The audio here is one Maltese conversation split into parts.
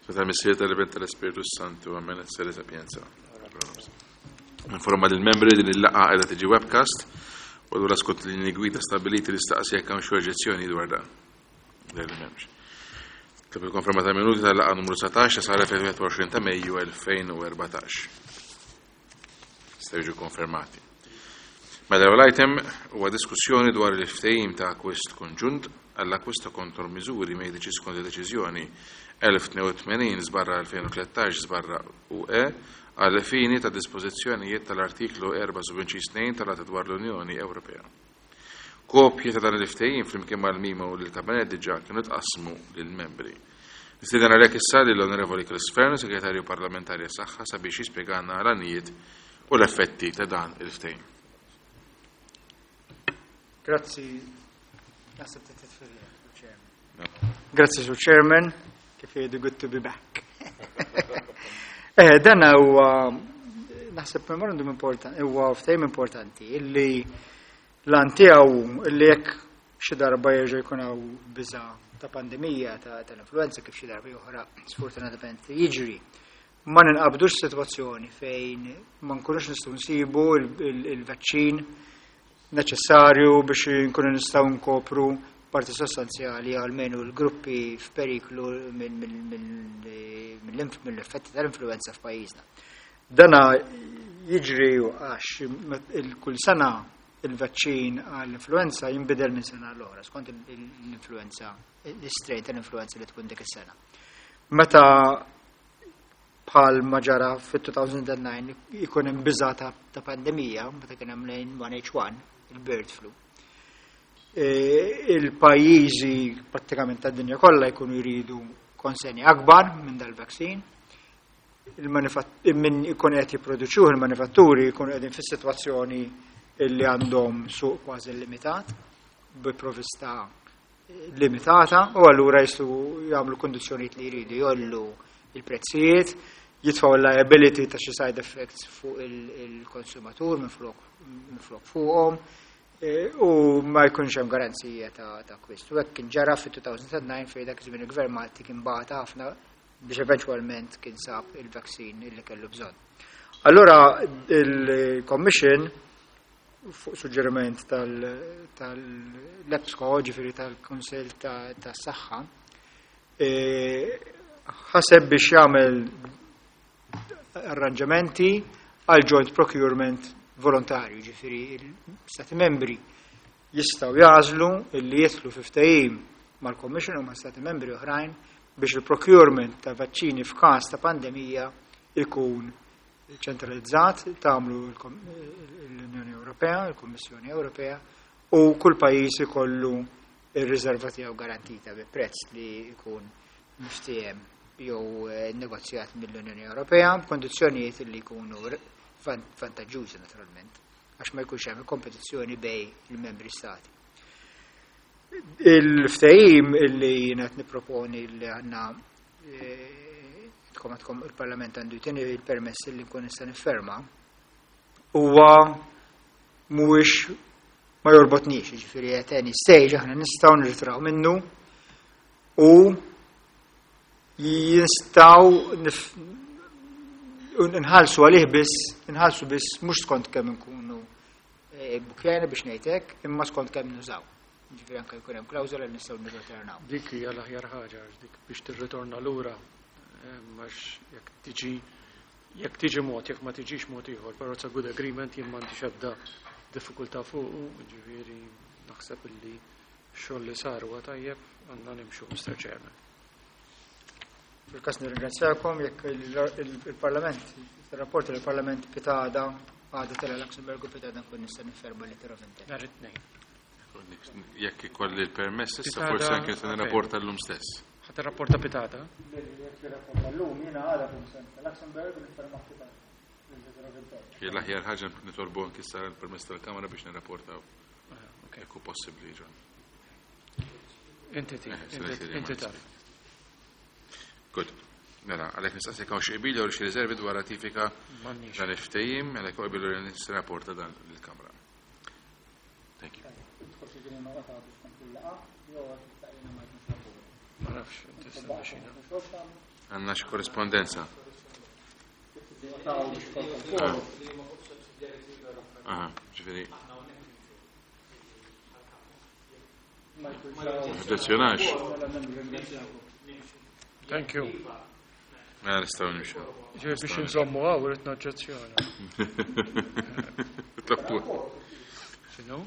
Tal-Missier tal-Iben tal-Ispirtu Santu, Amen, et Sapienza. Informa lill-membri din il-laqgħa qiegħda tiġi webcast u allura skont l-linji gwida stabiliti nistaqsi jekk hawn xi oġġezzjoni dwar dan. Li m'hemmx. Tlob il-konferma ta' minuti tal-laqgħa numru 19 saret fil-21 ta' Mejju 2014. Jistgħu jiġu konfermati. Mela l-ewwel item huwa diskussjoni dwar il-ftehim ta' akkwist konġunt għall-akkwist ta' kontromiżuri mediċi skont id-deċiżjoni 1082 żbarra 2013 żbarra UE għal fini ta' dispożizzjonijiet tal-artiklu 4 2 tal-Att dwar l-Unjoni Ewropea. Kopji ta' dan il-ftehim flimkien mal-memo lill-Kabinett diġà kienu tqassmu lill-membri. Nistieden għalhekk issa lill-Onorevoli Chris Fearne, Segretarju Parlamentari għas-Saħħa sabiex jispjegana l-għanijiet u l-effetti ta' dan il-ftehim. Grazzi. Naħseb Chairman. Grazzi, Sur Chairman, kif jgħidu good to be back. Eh, dan huwa naħseb memorandum importanti, huwa ftehim importanti illi l-għan tiegħu illi jekk xi darba jerġa' jkun hawn biża' ta' pandemija tal-influenza kif xi darba oħra sfortunatament jiġri. Ma ninqabdux sitwazzjoni fejn ma nkunux nistgħu nsibu il-vaċċin neċessarju biex nkunu nistgħu nkopru parti sostanzjali għalmenu l-gruppi f'periklu mill-effetti tal-influenza f'pajjiżna. Dana jiġri għax kull sena il-vaċċin għall-influenza jinbidel minn sena l-oħra, skont l-influenza, l-strain tal-influenza li tkun dik is-sena. Meta bħal ma ġara fit-2009 ikun hemm biża ta' pandemija, meta kien hemm l-H1N1, il-bird flu. E, il-pajjiżi prattikament tad-dinja kollha jkunu jridu konsenji akbar minn dal-vaccine. Min ikun qed jipproduċuh il-manifatturi jkunu qegħdin fis-sitwazzjoni illi għandhom suq kważi limitat bi provista limitata u allura jistgħu jagħmlu kondizzjonijiet li jridu jgħollu il-prezzijiet, jitfgħu liability ta' xi side effects fuq il-konsumatur minn flok fuqhom e, u ma jkunx hemm garanzija ta' akkwist. U hekk kien ġara fit-2009 fejn dak iż-żmien il-Gvern Malti kien bata ħafna biex eventwalment kien sab il-vaccine illi kellu bżonn. Allura il-Commission fuq suġġeriment tal-EPSCO, ġifieri tal-Kunsill tas-Saħħa, e, ħaseb biex jagħmel arranġamenti għal joint procurement volontarju, ġifieri l-Stati membri jistgħu jagħżlu illi jidħlu fi ftehim mal-Commission u ma' Stati membri oħrajn biex il-procurement ta' vaċċini f'każ ta' pandemija ikun ċentralizzat, tagħmlu l-Unjoni Ewropea, il-Kummissjoni Ewropea, u kull pajjiż ikollu ir-riserva tiegħu garantita bi prezz li jkun miftiehem jew eh, negozjat mill-Unjoni Ewropea b'kondizzjonijiet li jkunu vantaġġużi naturalment għax ma jkunx hemm kompetizzjoni bejn il-membri stati. Il-ftehim illi jiena qed nipproponi li għandna eh, tkom għandkom il-Parlament għandu jtini il-permess li nkun nista' nifferma huwa mhuwiex ma jorbotniex, jiġifieri at any stage aħna nistgħu nirtraw minnu u jistgħu nħallsu għalih biss, nħallsu biss mhux skont kemm nkunu eh, bukjena biex ngħidlek, imma skont kemm nużaw. Ġifieri anke jkun hemm klawżola li nistgħu nirritornaw. Dik hija l-aħjar ħaġa għax dik biex tirritorna lura għax jekk tiġi jekk tiġi mod, jekk ma tiġix mod ieħor, però it's a good agreement jien m'għandix ebda diffikultà fuqu, ġifieri naħseb illi x-xogħol li sar huwa tajjeb għandna nimxu, Mr. Chairman. Fil-kas nirringrazzjakom jekk il-Parlament, il-rapport il-Parlament pitgħada għada tela' Luxemburg u pitgħada nkun nista' nifferma letter of intent. Nhar it-tnejn. Jekk ikolli l-permess, issa forsi anke se nirrapporta llum stess. Ħa tirrapporta pitgħada? Jekk tirrapporta llum jiena għada kun se Luxemburg u nifferma pitgħada. L-aħjar ħaġa nitolbu anki sar il-permess tal-Kamra biex nirrapportaw. Jekk hu possibbli, John. Inti inti taf. Good. Mela, għalhekk nistaqsik hawn xi qbil jew xi riservi dwar ratifika dan il-ftehim, għalhekk qbil li nirrapporta dan lill-Kamra. Thank you. Ma nafx, tista' Għandna xi korrispondenza. Aha, ġifieri. Oġġezzjonax. Thank you. Mela nistgħu nimxu. Ġifieri biex inżommu hawn irid noġġezzjona. Tlabtu. X'inhu?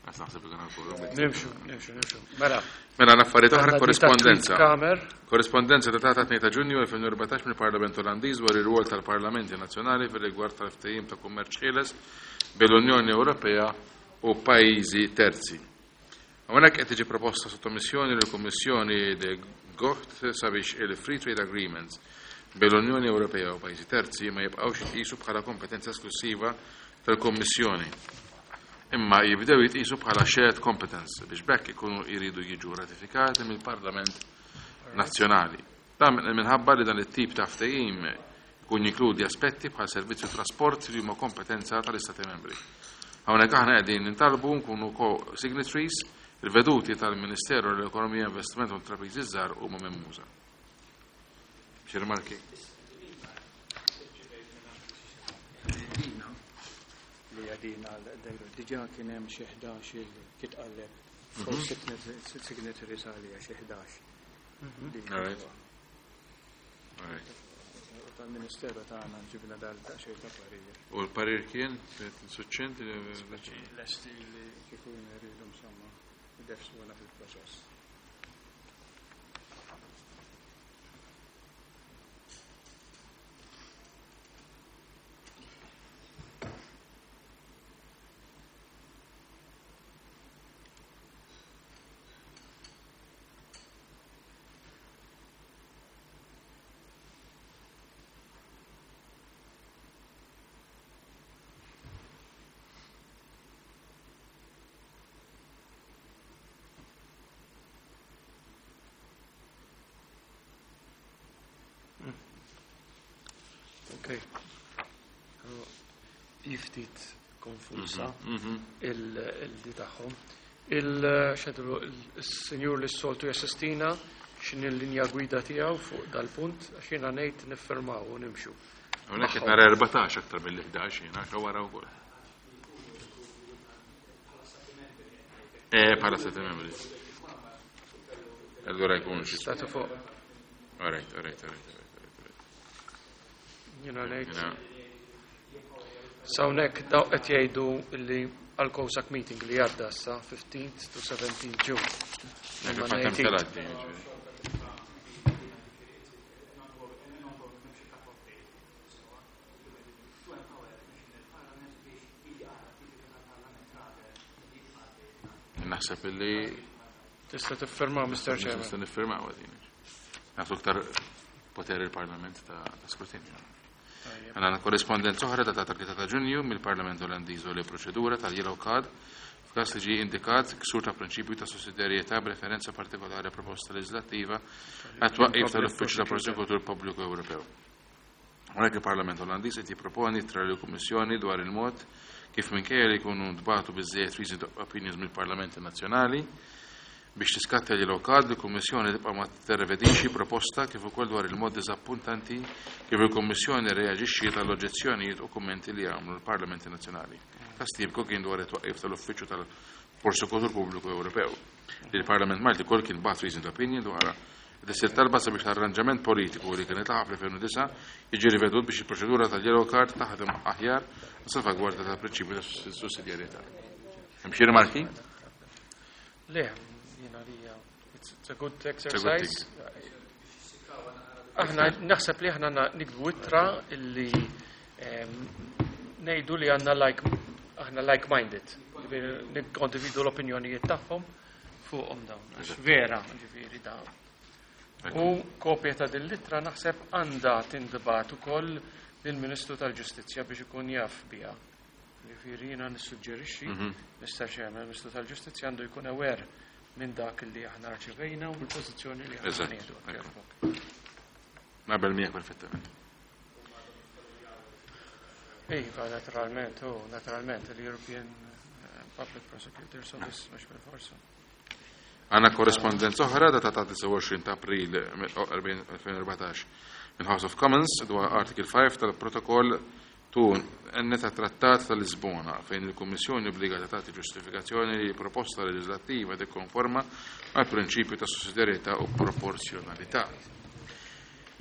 Għas naħseb li kien għal Nimxu, nimxu, nimxu. Mela. Mela l-affarijiet oħra għandna di ta' korrispondenza. Kamer. Korrispondenza datata 2 ta' Ġunju 2014 mill-Parlament Olandiż dwar ir-rwol tal-Parlamenti Nazzjonali fir-rigward tal-ftehim ta' kummerċ ħieles bejn l-Unjoni Ewropea u pajjiżi terzi. Hawnhekk qed tiġi proposta sottomissjoni lill-Kummissjoni de Gucht sabiex il-Free Trade Agreements bejn l-Unjoni Ewropea u pajjiżi terzi ma jibqgħux jitqisu bħala kompetenza esklusiva tal-Kummissjoni imma jibdew jitqisu bħala shared competence biex b'hekk ikunu jridu jiġu ratifikati mill-Parlament Nazzjonali. Dan minħabba li dan it-tip ta' ftehim ikun jinkludi aspetti bħal servizzi u trasport li huma kompetenza tal-Istati Membri. Hawnhekk aħna qegħdin nintalbu nkunu co-signatories il-veduti tal-Ministeru l-Ekonomija, Investiment u Intrapriżi Żgħar huma mehmuża. Xi rimarki? Dina li għadina għal diġa kien hemm xi 11 il kitqalleb four signatories għalija xi 11. Li All right. All right. Tal-Ministeru tagħna ġibna dal daqsxejn ta' parir. U l-parir kien suċċent Lesti li kieku jridu insomma idefsuna fil-proċess. Ok. Ftit konfusa il-di tagħhom. Il-xedru, il-senjur li s-soltu jassistina x'inhi l-linja gwida tiegħu fuq dal-punt għax jiena ngħid niffirmaw u nimxu. Hawnhekk qed nara 14 aktar mill-11 jiena għax wara wkoll. Bħala stati membri. Allura jkun xi. Statu fuq. All right, all right, all right, all right, all right. Jiena ngħid. Jiena Sawnek daw qed jgħidu li għal COSAC meeting li għadda issa 15th to 17th June. Imma Fil-fatt hemm ngħid telat din, ġifieri. Naħseb illi Tista' tiffirma Mr. Chairman. nista' niffirmaw din. Nagħtu aktar poter il-Parlament ta' skrutinju. Tajjeb. Għandna korrispondenza oħra ta' 3 ta' Ġunju mill-Parlament Olandiż u li proċedura tal-Yellow Card f'każ li ġie indikat ksur ta' prinċipju ta' sussidjarjetà b'referenza partikolari proposta leġislattiva għat-twaqqif tal-Uffiċċju ta' Prosekutur Pubbliku Ewropew. Hawnhekk il-Parlament Olandiż qed jipproponi tra l-Kummissjoni dwar il-mod kif minkejja li jkunu ntbagħtu biżżejjed reasoned opinions mill-Parlamenti Nazzjonali biex tiskatta l lokal li l-Kummissjoni tibqa' ma terrevedixi proposta kif ukoll dwar il-mod diżappuntanti kif il-Kummissjoni reaġixxiet għall oġġezzjonijiet u kummenti li għamlu l-Parlamenti Nazzjonali. Każ tipiku kien dwar it-twaqqif tal-Uffiċċju tal-Prosekutur Pubbliku Ewropew. Li l-Parlament Malti kol kien bagħat reasoned opinion dwar Tisir talba sabiex l-arranġament politiku li kien itlaħaq fl-2009 jiġi rivedut biex il-proċedura tal-yellow card taħdem aħjar salvagwardja tal-prinċipju ta' sussidjarjetà. Hemm xi rimarki? Le, jiena li it's a good exercise. Aħna naħseb li aħna nikdbu ittra illi ngħidu li għandna like aħna like-minded. Ġifieri nikkondividu l-opinjonijiet tagħhom fuqhom dawn. Għax vera, ġifieri dawn. U kopja ta' din l-ittra naħseb għandha tintbagħat ukoll lill-Ministru tal-Ġustizzja biex ikun jaf biha. Ġifieri jiena nissuġġerixxi, Mr. Chairman, il-Ministru tal-Ġustizzja għandu jkun aware minn dak li aħna rċevejna u l-pożizzjoni li aħna nieħdu. Naqbel miegħek perfettament. Iva, naturalment, u naturalment, l-European Public Prosecutor's Office, mhux bil-forsa. Għandna korrespondenza oħra datata 29 ta' April 2014 minn House of Commons dwar Article 5 tal-Protokoll 2 N ta' Trattat ta' Lisbona fejn il-Kummissjoni obbligata tagħti ġustifikazzjoni li proposta leġislattiva tikkonforma mal prinċipju ta' sussidjarjetà u proporzjonalità.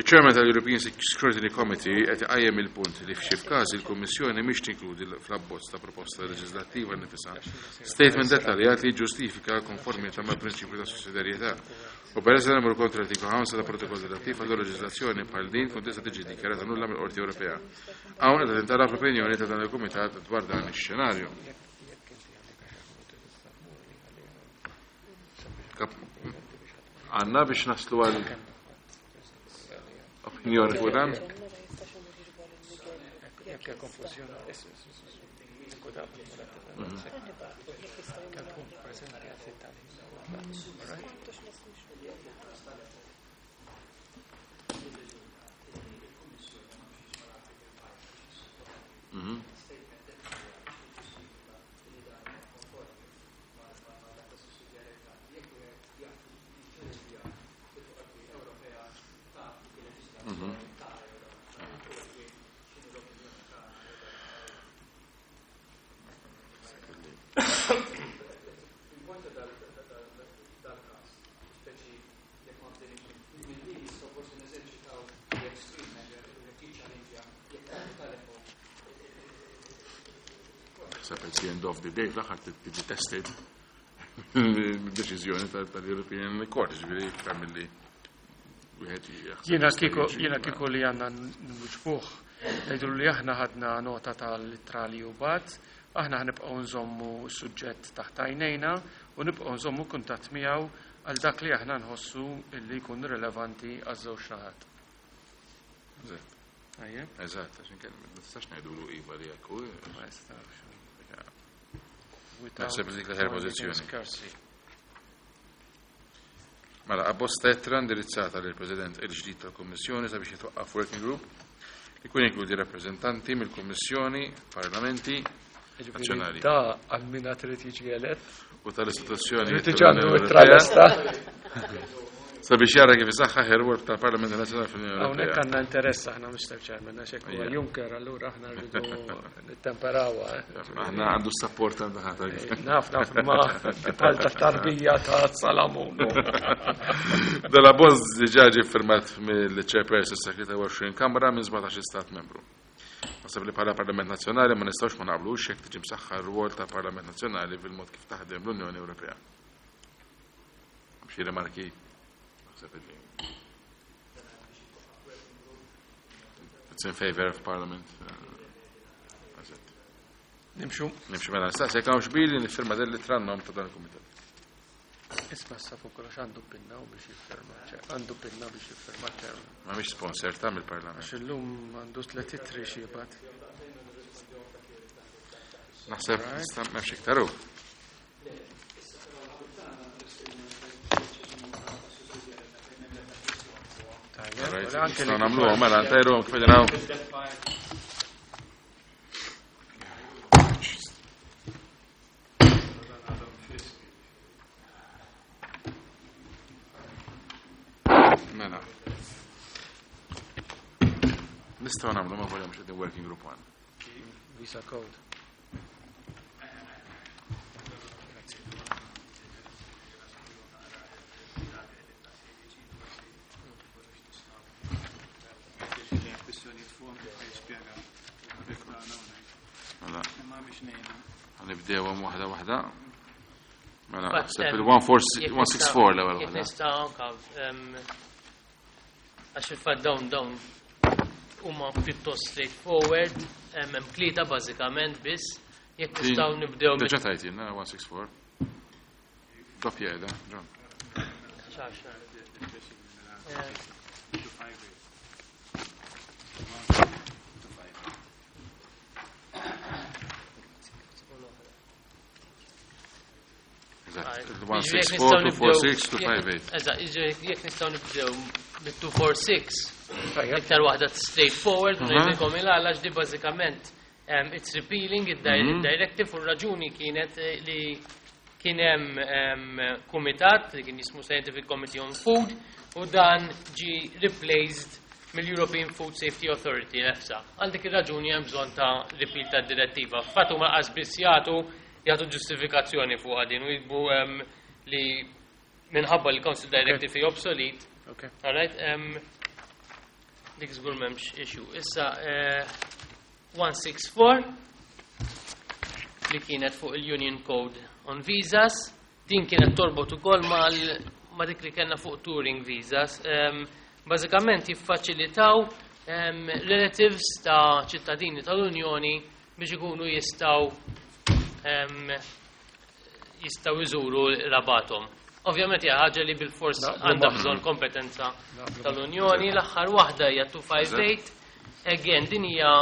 Il-Chairman tal-European Scrutiny Committee qed iqajjem il-punt li f'xi f'każi l-Kummissjoni mhix tinkludi fl-abbozz ta' proposta leġislattiva nnifisha statement dettaljat li ġustifika konformità mal-prinċipju ta' sussidjarjetà. U peress li nagħmlu kontra artiklu 5 ta' protokoll relattiv għal leġislazzjoni bħal din tkun tista' tiġi dikjarata nulla mill-Qorti Ewropea. Hawn qed tintalab l-opinjoni ta' dan il-Kumitat dwar dan ix-xenarju. Għanna biex naslu għal opinjoni fuq dan? Naħseb at the end of the day fl-aħħar tiġi tested deċiżjoni tal-European Court, ġifieri iktar milli wieħed jaħseb. Jiena kieku jiena kieku li għandna nwiġbuh ngħidu li aħna ħadna nota tal-ittra li hu bagħat, aħna ħnibqgħu nżommu s-suġġett taħt għajnejna u nibqgħu nżommu kuntatt miegħu għal dak li aħna nħossu li jkun rilevanti għaż-żewġ naħat. Eżatt. Tajjeb? Eżatt, għax inkella ma tistax ngħidulu iva li hekk hu. Ma jistax. Naħseb li dik l-aħjar pożizzjoni. Scarcely. Mela, abbozz ta' ittra indirizzata lill President il-ġdid tal-Kummissjoni sabiex jitwaqqaf working group li jkun jinkludi rappreżentanti mill-Kummissjoni, Parlamenti Nazzjonali Da għal min għad irid jiġi elett. u tal-istituzzjoni Irid jiġi għandu ittra lesta. sabiex jara kif isaħħaħ ir-rwol tal-Parlament Nazzjonali fl-Unjoni Hawnhekk Ewropea. għandna interess aħna Mr. Chairman, għax hekk huwa Ejja. Juncker, allura aħna rridu nittemperawha. eh. Aħna għandu s-support għandu ħadd. Naf, naf, ma bħal ta' tarbija ta' Salamun. Dalla bozz diġà ġie firmat mill-chairperson sa 23 Kamra minn 17 stat membru. Naħseb li bħala Parlament Nazzjonali ma nistgħux ma naqblux jekk tiġi msaħħa r-rwol tal-Parlament Nazzjonali fil-mod kif taħdem l-Unjoni Ewropea. Xi rimarki? Naħseb li It's in favor of Parliament. Eżatt. Nimxu. Nimxu mela nistaqsi jekk hawn xbili nifirma din l-ittra n-nom ta' dan il-kumitat. Isma' sa fuq kollox għandu pinna u biex jiffirma. Għandu pinna biex jiffirma chairman. Ma mhix sponsor ta' mill-Parlament. Għax illum għandu tliet ittri xi jibgħat. Naħseb nista' m'hemmx iktar hu. Tajjeb, Alright, wara anke Nistgħu li nagħmluhom mela ntajruhom kif qegħdin hawn. Mela. Nistgħu nagħmlu ma volja mhux qegħdin working group one. Visa code. Mela, Imma ħanibdewhom waħda waħda. Mela, Fatt, naħseb jekk il-164 l-ewwel Jekk waħda. nista' anka għax il-fatt dawn huma pjuttost straightforward, hemm tlieta bażikament biss, jekk nistgħu nibdew Diġà tajt jiena 164. Doppja qiegħda, John. Xaxa. Eżatt. Jiġifieri jekk nistgħu 164, 246, nibdew- 258. Eżatt, jiġifieri jekk nistgħu nibdew bit-246, iktar waħda straightforward, ngħidilkom il-għala di bażikament it's repealing id-directive u r-raġuni kienet li Kien hemm kumitat li kien jismu Scientific Committee on Food u dan ġi replaced mill-European Food Safety Authority, l-EFSA. Għal dik ir-raġuni hemm bżonn ta' repeal ta' direttiva. Fatt huma qas biss jagħtu ġustifikazzjoni fuq din u jitbu li minħabba li Council Directive hi obsolete. All right, dik żgur m'hemmx issue. Issa 164 li kienet fuq il-Union Code on Visas, din kienet torbot ukoll ma dik li kellna fuq touring visas. Bażikament jiffaċilitaw relatives ta' ċittadini tal-Unjoni biex ikunu jistgħu jżuru qrabathom. Ovvjament hija ħaġa li bil-fors għandha bżonn kompetenza tal-Unjoni. L-aħħar waħda hija 258. Again, din hija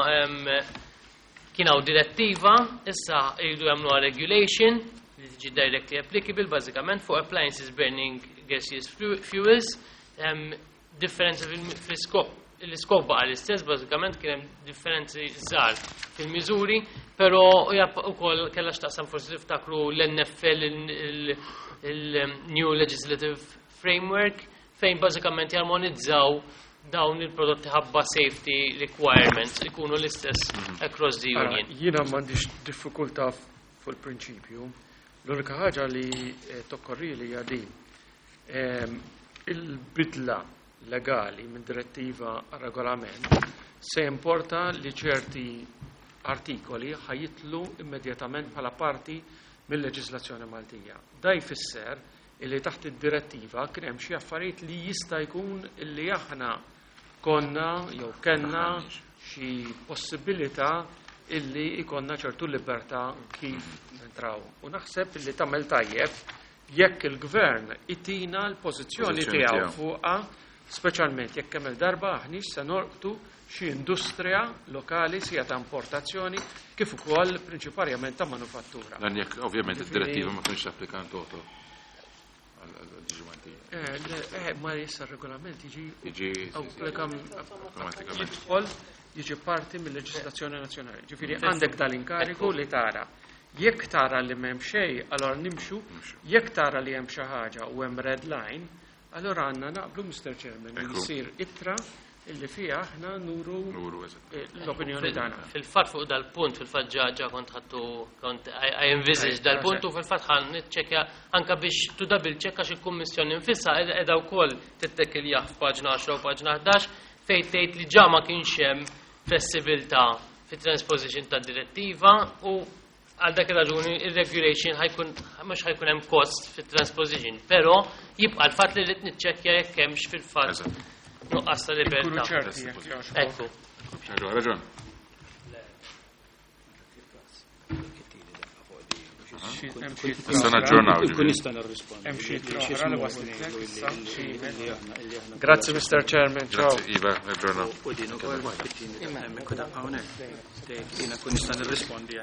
kien hawn direttiva, issa jridu jagħmluha regulation li tiġi directly applicable bażikament fuq appliances burning gaseous fuels. Differenza fil-iskop, l-iskop baqa l-istess, bażikament kien hemm differenzi żgħar fil-miżuri, però hija wkoll kellha x'taqsam, forsi tiftakru l-NFL, il-New Legislative Framework, fejn bażikament jarmonizzaw dawn il-prodotti ħabba safety requirements ikunu l-istess across the Ara, Union. jiena m'għandix diffikultà fuq il-prinċipju. L-unika ħaġa li tokkorri li hija din. Il-bidla legali minn direttiva għal regolament se importa li ċerti artikoli ħa jidħlu immedjatament bħala parti mill-leġislazzjoni Maltija. Da jfisser illi taħt id-direttiva kien hemm xi affarijiet li jista' jkun illi aħna konna jew kellna xi possibilità illi ikonna ċertu libertà kif nentraw. U naħseb illi tagħmel tajjeb jekk il-gvern itina l-pożizzjoni Pożizzjoni tiegħu tiegħu. fuqha, speċjalment jekk kemm il-darba aħniex se norqtu xi industrija lokali sia ta' importazzjoni kif ukoll prinċiparjament ta' manufattura. Dan jekk ovvjament Ġifieri- id-direttiva ma kienx applika in toto għal-liġi Maltija. Le, ma jissa regolament jiġi Jiġi automatikament. jidħol jiġi parti mill-leġislazzjoni nazzjonali. Ġifieri għandek dal-inkariku li tara. Jekk tara li m'hemm xejn, allora nimxu. Jekk tara li hemm xi ħaġa u hemm red line, allora għandna naqblu, Mr. Chairman, li jsir ittra illi fiha aħna nuru Nuru, eżatt. l-opinjoni tagħna. Fil-fatt fuq dal-punt, fil-fatt ġa kont ħattu, kont I envisage dal-punt u fil-fatt ħan niċċekkja anka biex tu double check għax il-Kummissjoni nfisha qiegħda wkoll tittekiljaħ f'paġna 10 u paġna 11 fejn tgħid li ġa ma kienx hemm flessibilità fit-transposition ta' direttiva u għal dak ir-raġuni il-regulation ħajkun mhux ħajkun hemm cost fit-transposition, però jibqa' l-fatt li rrid niċċekkja jekk hemmx fil-fatt nuqqas ta' Ikunu libertà. ċerti jekk jogħġbok. Ekku. Raġun, raġun. Hemm xi Issa naġġornaw. Nkun ġifieri. nista' nirrispondi. Hemm xi Li- oħra li x'ismu waslitlek li- issa, li- xi li- email. li aħna- li aħna- Grazzi, Mr. Chairman. Ciao. Grazzi, Iva, naġġornaw. U din ukoll fit-tieni daqqa hemmhekk u daqqa hawnhekk. Tgħid jiena kun nista' nirrispondi.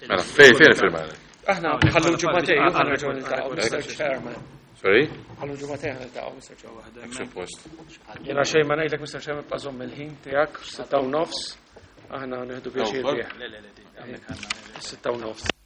Mela, fejn firmare? Aħna ħallu ġimagħtejn u ħa nerġgħu niltaqgħu, Mr. Chairman. Sorry? Ħallu ġimagħtejn ħa niltaqgħu, Mr. Chairman. Hekk suppost. Jiena xejn ma ngħidlek, Mr. Chairman, bqa' żomm il-ħin tiegħek, 6:30. Aħna nieħdu pjaċir Ukoll? bih. Le, le, le, din, hawnhekk għandna. 6:30.